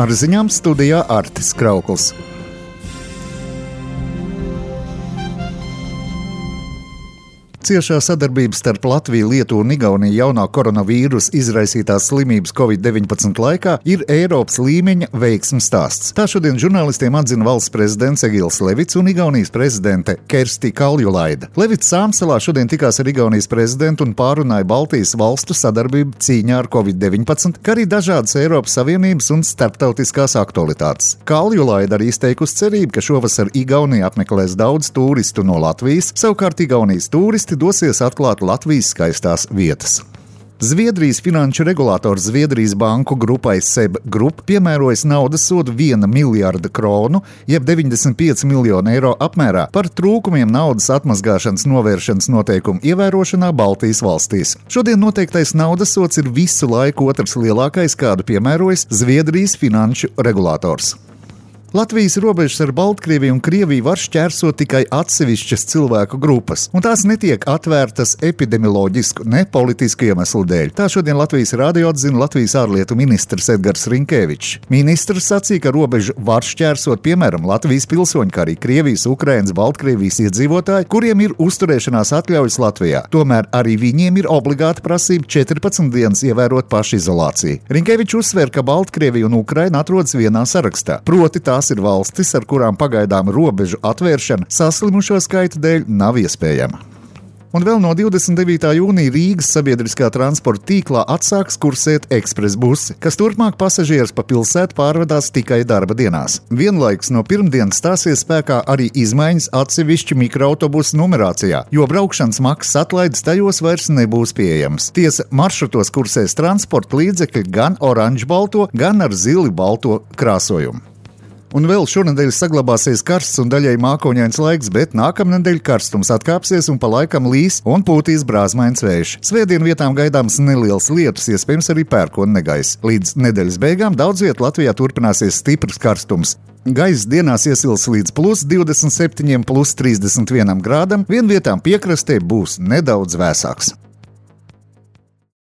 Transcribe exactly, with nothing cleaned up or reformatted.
Ar ziņām studijā Artis Kraukls. Ciešā sadarbība starp Latviju, Lietuvu un Igauniju jaunā koronavīrusa izraisītās slimības covid deviņpadsmit laikā ir Eiropas līmeņa veiksmes stāsts. Tā šodien žurnālistiem atzina valsts prezidents Egils Levits un Igaunijas prezidente Kersti Kaljulaida. Levits Sāmsalā šodien tikās ar Igaunijas prezidentu un pārunāja Baltijas valstu sadarbību cīņā ar covid deviņpadsmit, kā arī dažādas Eiropas Savienības un starptautiskās aktualitātes. Kaljulaida arī izteikusi cerību, ka šovasar Igaunija apmeklēs daudz turistu no Latvijas, savukārt Igaunijas turisti dosies atklāt Latvijas skaistās vietas. Zviedrijas finanšu regulātors Zviedrijas banku grupai SEB Group piemērojas naudas sodu viena miljārda kronu, jeb deviņdesmit pieci miljoni eiro apmērā par trūkumiem naudas atmazgāšanas novēršanas noteikumu ievērošanā Baltijas valstīs. Šodien noteiktais naudas sods ir visu laiku otrs lielākais, kādu piemērojas Zviedrijas finanšu regulātors. Latvijas robežas ar Baltkrieviju un Krieviju var šķērsot tikai atsevišķas cilvēku grupas, un tās netiek atvērtas epidemioloģisku, ne politisku iemeslu dēļ. Tā šodien Latvijas rādio atzina Latvijas ārlietu ministrs Edgars Rinkevičs. Ministrs sacīja, ka robežu var šķērsot piemēram Latvijas pilsoņi, kā arī Krievijas, Ukrainas, Baltkrievijas iedzīvotāji, kuriem ir uzturēšanās atļaujas Latvijā. Tomēr arī viņiem ir obligāta prasība četrpadsmit dienas ievērot pašizolāciju. Rinkevičs uzsver, ka Baltkrievija un Ukraina atrodas vienā sarakstā, proti tā Tās ir valstis, ar kurām pagaidām robežu atvēršana saslimušo skaita dēļ nav iespējama. Un vēl no divdesmit devītā jūnija Rīgas sabiedriskā transporta tīklā atsāks kursēt ekspresbusi, kas turpmāk pasažierus pa pilsētu pārvadās tikai darba dienās. Vienlaikus no pirmdienas stāsies spēkā arī izmaiņas atsevišķi mikroautobusu numerācijā, jo braukšanas maksas atlaides tajos vairs nebūs pieejams. Tiesa, maršrutos kursēs transporta līdzekļi gan oranžbalto, gan ar zili balto krāsojumu. Un vēl šonedēļ saglabāsies karsts un daļai mākoņains laiks, bet nākamnedēļ karstums atkāpsies un pa laikam līs un pūtīs brāzmains vējš. Svētdien vietām gaidāms neliels lietus, iespējams arī pērkona negaiss. Līdz nedēļas beigām daudz viet Latvijā turpināsies stiprs karstums. Gaiss dienās iesils līdz plus divdesmit septiņiem, plus trīsdesmit vienam grādam, vien vietām piekrastē būs nedaudz vēsāks.